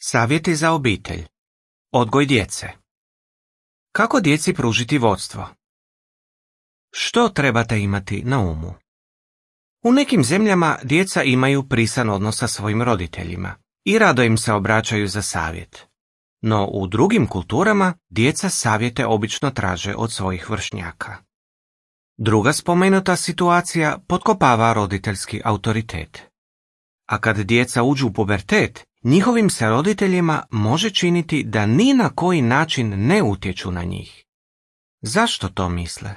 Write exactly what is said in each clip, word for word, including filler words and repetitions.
Savjeti za obitelj. Odgoj djece. Kako djeci pružiti vodstvo? Što trebate imati na umu? U nekim zemljama djeca imaju prisan odnos sa svojim roditeljima i rado im se obraćaju za savjet. No u drugim kulturama djeca savjete obično traže od svojih vršnjaka. Druga spomenuta situacija potkopava roditeljski autoritet. A kad djeca uđu u pubertet, njihovim se roditeljima može činiti da ni na koji način ne utječu na njih. Zašto to misle?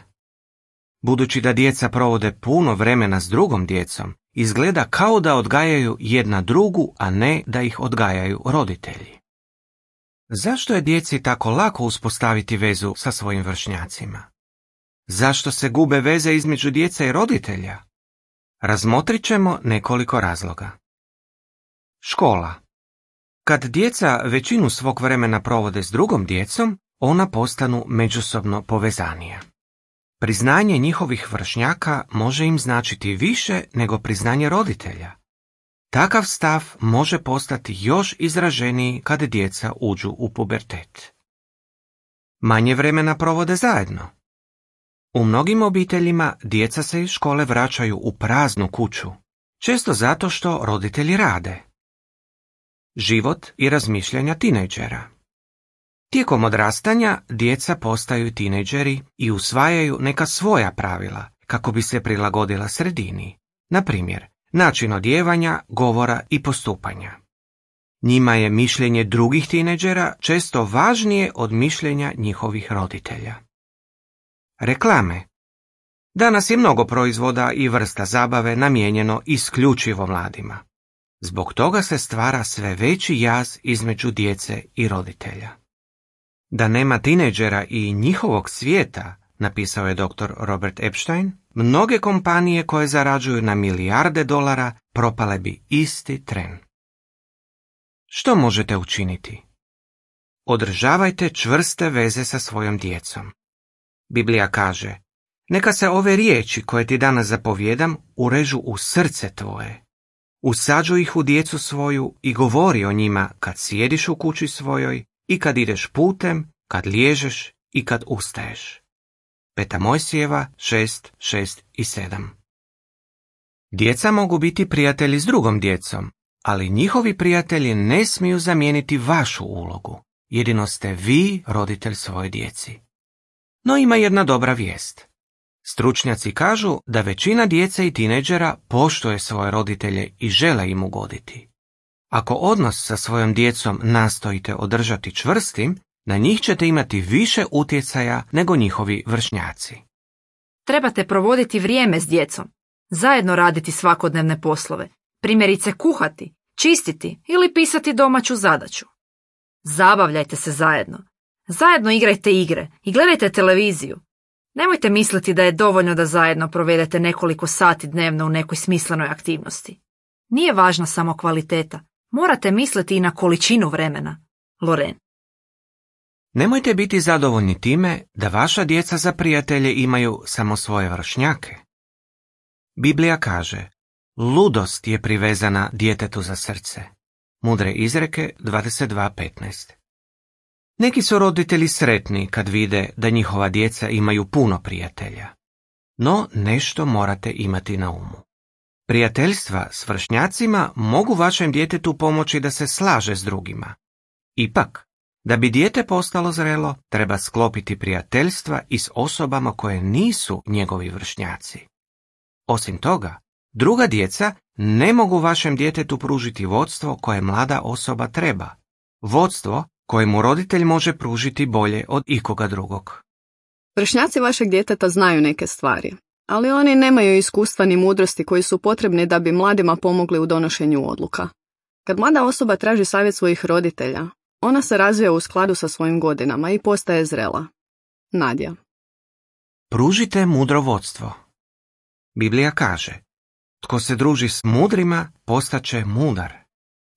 Budući da djeca provode puno vremena s drugom djecom, izgleda kao da odgajaju jedna drugu, a ne da ih odgajaju roditelji. Zašto je djeci tako lako uspostaviti vezu sa svojim vršnjacima? Zašto se gube veze između djece i roditelja? Razmotrit ćemo nekoliko razloga. Škola. Kad djeca većinu svog vremena provode s drugom djecom, ona postanu međusobno povezanija. Priznanje njihovih vršnjaka može im značiti više nego priznanje roditelja. Takav stav može postati još izraženiji kad djeca uđu u pubertet. Manje vremena provode zajedno. U mnogim obiteljima djeca se iz škole vraćaju u praznu kuću, često zato što roditelji rade. Život i razmišljanja tinejdžera. Tijekom odrastanja djeca postaju tinejdžeri i usvajaju neka svoja pravila kako bi se prilagodila sredini, na primjer, način odjevanja, govora i postupanja. Njima je mišljenje drugih tinejdžera često važnije od mišljenja njihovih roditelja. Reklame. Danas je mnogo proizvoda i vrsta zabave namijenjeno isključivo mladima. Zbog toga se stvara sve veći jaz između djece i roditelja. Da nema tinejdžera i njihovog svijeta, napisao je doktor Robert Epstein, mnoge kompanije koje zarađuju na milijarde dolara propale bi isti tren. Što možete učiniti? Održavajte čvrste veze sa svojom djecom. Biblija kaže, neka se ove riječi koje ti danas zapovjedam urežu u srce tvoje. Usađuj ih u djecu svoju i govori o njima kad sjediš u kući svojoj i kad ideš putem, kad liježeš i kad ustaješ. Peta Mojsijeva šest, šest i sedam. Djeca mogu biti prijatelji s drugom djecom, ali njihovi prijatelji ne smiju zamijeniti vašu ulogu. Jedino ste vi roditelj svoje djeci. No ima jedna dobra vijest. Stručnjaci kažu da većina djece i tinejdžera poštuje svoje roditelje i žele im ugoditi. Ako odnos sa svojom djecom nastojite održati čvrstim, na njih ćete imati više utjecaja nego njihovi vršnjaci. Trebate provoditi vrijeme s djecom, zajedno raditi svakodnevne poslove, primjerice kuhati, čistiti ili pisati domaću zadaću. Zabavljajte se zajedno. Zajedno igrajte igre i gledajte televiziju. Nemojte misliti da je dovoljno da zajedno provedete nekoliko sati dnevno u nekoj smislenoj aktivnosti. Nije važna samo kvaliteta, morate misliti i na količinu vremena. Loren. Nemojte biti zadovoljni time da vaša djeca za prijatelje imaju samo svoje vršnjake. Biblija kaže, ludost je privezana djetetu za srce. Mudre izreke dvadeset dva petnaest. Neki su roditelji sretni kad vide da njihova djeca imaju puno prijatelja. No nešto morate imati na umu. Prijateljstva s vršnjacima mogu vašem djetetu pomoći da se slaže s drugima. Ipak, da bi dijete postalo zrelo, treba sklopiti prijateljstva i s osobama koje nisu njegovi vršnjaci. Osim toga, druga djeca ne mogu vašem djetetu pružiti vodstvo koje mlada osoba treba. Vodstvo kojemu roditelj može pružiti bolje od ikoga drugog. Vršnjaci vašeg djeteta znaju neke stvari, ali oni nemaju iskustva ni mudrosti koji su potrebni da bi mladima pomogli u donošenju odluka. Kad mlada osoba traži savjet svojih roditelja, ona se razvija u skladu sa svojim godinama i postaje zrela. Nadja. Pružite mudro vodstvo. Biblija kaže, tko se druži s mudrima, postaće mudar.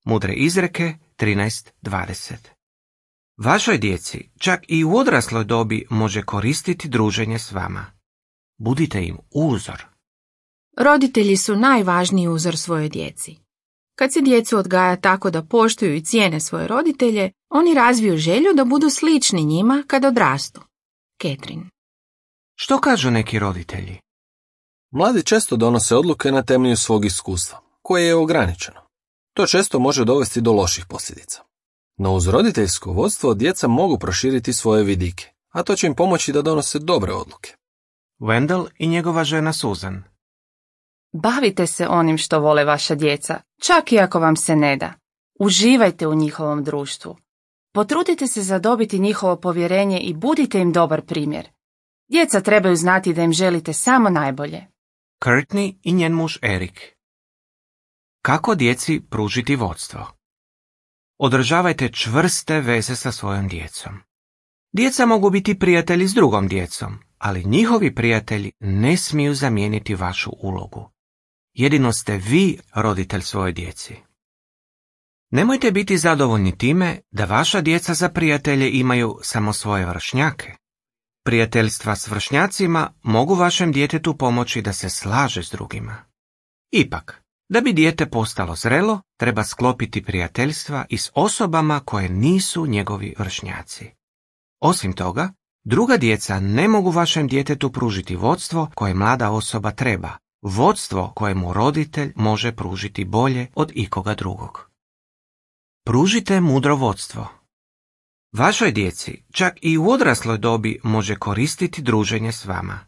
Mudre izreke trinaest dvadeset. Vašoj djeci čak i u odrasloj dobi može koristiti druženje s vama. Budite im uzor. Roditelji su najvažniji uzor svojoj djeci. Kad se djecu odgaja tako da poštuju i cijene svoje roditelje, oni razviju želju da budu slični njima kad odrastu. Catherine. Što kažu neki roditelji? Mladi često donose odluke na temelju svog iskustva, koje je ograničeno. To često može dovesti do loših posljedica. No uz roditeljsko vodstvo djeca mogu proširiti svoje vidike, a to će im pomoći da donose dobre odluke. Wendell i njegova žena Susan. Bavite se onim što vole vaša djeca, čak i ako vam se ne da. Uživajte u njihovom društvu. Potrudite se zadobiti njihovo povjerenje i budite im dobar primjer. Djeca trebaju znati da im želite samo najbolje. Courtney i njen muž Eric. Kako djeci pružiti vodstvo? Održavajte čvrste veze sa svojom djecom. Djeca mogu biti prijatelji s drugom djecom, ali njihovi prijatelji ne smiju zamijeniti vašu ulogu. Jedino ste vi roditelj svoje djeci. Nemojte biti zadovoljni time da vaša djeca za prijatelje imaju samo svoje vršnjake. Prijateljstva s vršnjacima mogu vašem djetetu pomoći da se slaže s drugima. Ipak, da bi dijete postalo zrelo, treba sklopiti prijateljstva i s osobama koje nisu njegovi vršnjaci. Osim toga, druga djeca ne mogu vašem djetetu pružiti vodstvo koje mlada osoba treba, vodstvo koje mu roditelj može pružiti bolje od ikoga drugog. Pružite mudro vodstvo. Vašoj djeci, čak i u odrasloj dobi, može koristiti druženje s vama.